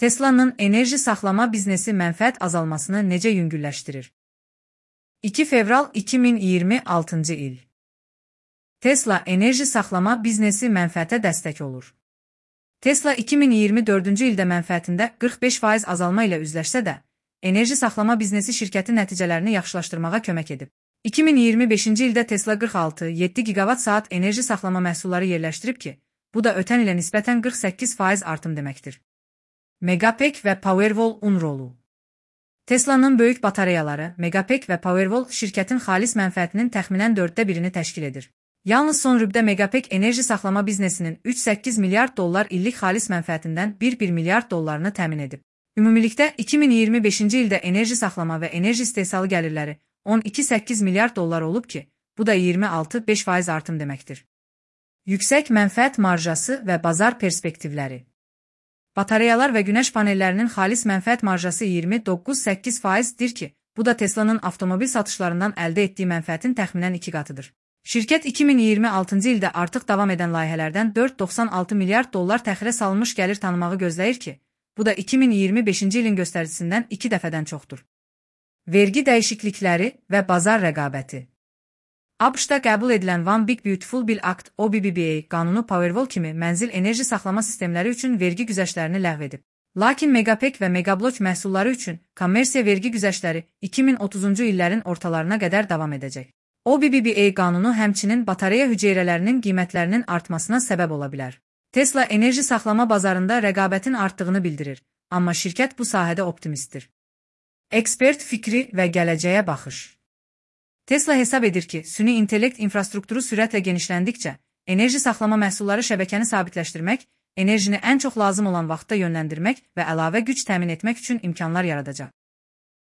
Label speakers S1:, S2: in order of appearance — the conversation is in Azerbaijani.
S1: Tesla'nın enerji saxlama biznesi mənfəət azalmasını necə yüngülləşdirir? 2 fevral 2026 il. Tesla enerji saxlama biznesi mənfəətə dəstək olur. Tesla 2024-cü ildə mənfəətində 45% azalma ilə üzləşsə də, enerji saxlama biznesi şirkətin nəticələrini yaxşılaşdırmağa kömək edib. 2025-ci ildə Tesla 46,7 gigawatt-saat enerji saxlama məhsulları yerləşdirib ki, bu da ötən ilə nisbətən 48% artım deməkdir. Megapack və Powerwall rolu. Tesla'nın böyük batareyaları, Megapack və Powerwall şirkətin xalis mənfəətinin təxminən 1/4-ni təşkil edir. Yalnız son rübdə Megapack enerji saxlama biznesinin 3,8 milyard dollar illik xalis mənfəətindən 1 milyard dollarını təmin edib. Ümumilikdə 2025-ci ildə enerji saxlama və enerji istehsalı gəlirləri 12,8 milyard dollar olub ki, bu da 26,5% artım deməkdir. Yüksək mənfəət marjası və bazar perspektivləri. Batareyalar və günəş panellərinin xalis mənfəət marjası 29,8%dir ki, bu da Tesla'nın avtomobil satışlarından əldə etdiyi mənfəətin təxminən 2 qatıdır. Şirkət 2026-cı ildə artıq davam edən layihələrdən 4,96 milyard dollar təxirə salınmış gəlir tanımağı gözləyir ki, bu da 2025-ci ilin göstəricisindən 2 dəfədən çoxdur. Vergi dəyişiklikləri və bazar rəqabəti. ABŞ-da qəbul edilən One Big Beautiful Bill Act (OBBBA) qanunu Powerwall kimi mənzil enerji saxlama sistemləri üçün vergi güzəştlərini ləğv edib. Lakin Megapack və Megablok məhsulları üçün kommersiya vergi güzəştləri 2030-cu illərin ortalarına qədər davam edəcək. OBBBA qanunu həmçinin batareya hüceyrələrinin qiymətlərinin artmasına səbəb ola bilər. Tesla enerji saxlama bazarında rəqabətin artdığını bildirir, amma şirkət bu sahədə optimistdir. Ekspert fikri və gələcəyə baxış. Tesla hesab edir ki, süni intellekt infrastrukturu sürətlə genişləndikcə, enerji saxlama məhsulları şəbəkəni sabitləşdirmək, enerjini ən çox lazım olan vaxtda yönləndirmək və əlavə güc təmin etmək üçün imkanlar yaradacaq.